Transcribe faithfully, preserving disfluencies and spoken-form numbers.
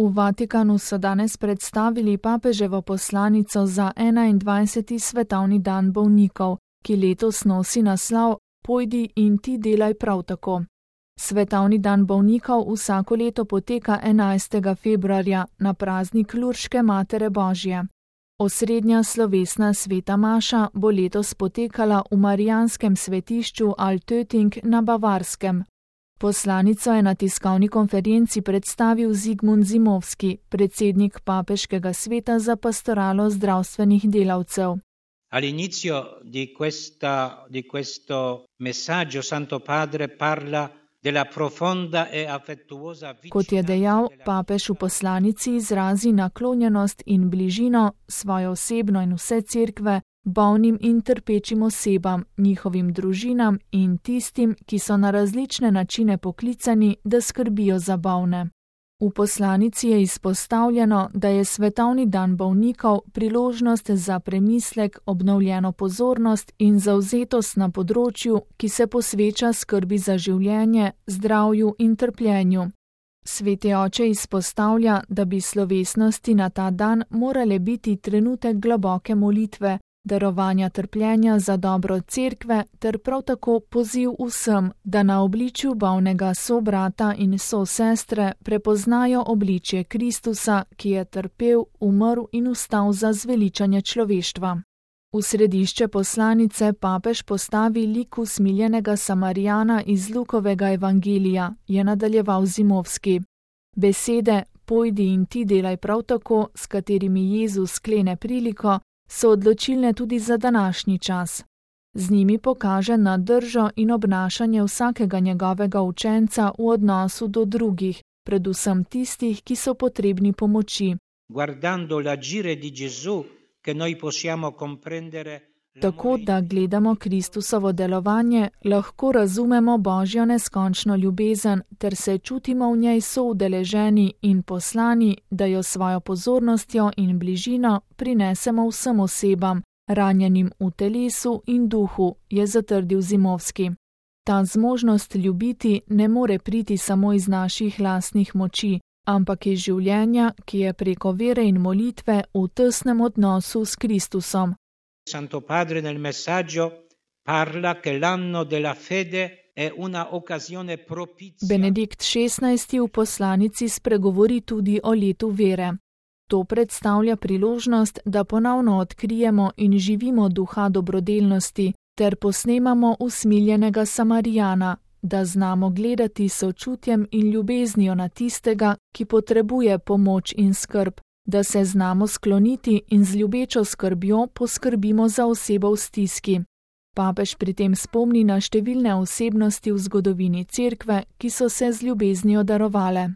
V Vatikanu so danes predstavili papeževo poslanico za enaindvajseti svetovni dan bolnikov, ki letos nosi naslov Pojdi in ti delaj prav tako. Svetovni dan bolnikov vsako leto poteka enajstega februarja na praznik Lurške Matere Božje. Osrednja slovesna sveta maša bo letos potekala v marijanskem svetišču Altötting na Bavarskem. Poslanico je na tiskovni konferenci predstavil Zigmund Zimovski, predsednik Papeškega sveta za pastoralo zdravstvenih delavcev. All'inizio di questa di questo messaggio Santo Padre parla della profonda e affettuosa vicinanza. Kot je dejal, papež v poslanici izrazi naklonjenost in bližino svojo osebno in vse cerkve bolnim in trpečim osebam, njihovim družinam in tistim, ki so na različne načine poklicani, da skrbijo za bolne. V poslanici je izpostavljeno, da je svetovni dan bolnikov priložnost za premislek, obnovljeno pozornost in zavzetost na področju, ki se posveča skrbi za življenje, zdravju in trpljenju. Sveti oče izpostavlja, da bi slovesnosti na ta dan morale biti trenutek globoke molitve, darovanja trpljenja za dobro cerkve ter prav tako poziv vsem, da na obličju bolnega sobrata in sosestre prepoznajo obličje Kristusa, ki je trpel, umrl in vstal za zveličanje človeštva. V središče poslanice papež postavi lik usmiljenega Samarijana iz Lukovega evangelija, je nadaljeval Zimovski. Besede pojdi in ti delaj prav tako, s katerimi Jezus sklene priliko, so odločilne tudi za današnji čas. Z njimi pokaže na držo in obnašanje vsakega njegovega učenca v odnosu do drugih, predvsem tistih, ki so potrebni pomoči. Guardando l'agire di Gesù che noi possiamo comprendere. Tako da gledamo Kristusovo delovanje, lahko razumemo Božjo neskončno ljubezen ter se čutimo v njej soudeleženi in poslani, da jo svojo pozornostjo in bližino prinesemo vsem osebam, ranjenim v telesu in duhu, je zatrdil Zimovski. Ta zmožnost ljubiti ne more priti samo iz naših lastnih moči, ampak iz življenja, ki je preko vere in molitve v tesnem odnosu s Kristusom. Santo Padre nel messaggio parla che l'anno della fede è una occasione propizia. Benedikt šestnajsti v poslanici spregovori tudi o letu vere. To predstavlja priložnost, da ponovno odkrijemo in živimo duha dobrodelnosti ter posnemamo usmiljenega Samarijana, da znamo gledati s sočutjem in ljubeznijo na tistega, ki potrebuje pomoč in skrb, da se znamo skloniti in z ljubečo skrbjo poskrbimo za osebo v stiski. Papež pri tem spomni na številne osebnosti v zgodovini cerkve, ki so se z ljubeznijo darovale.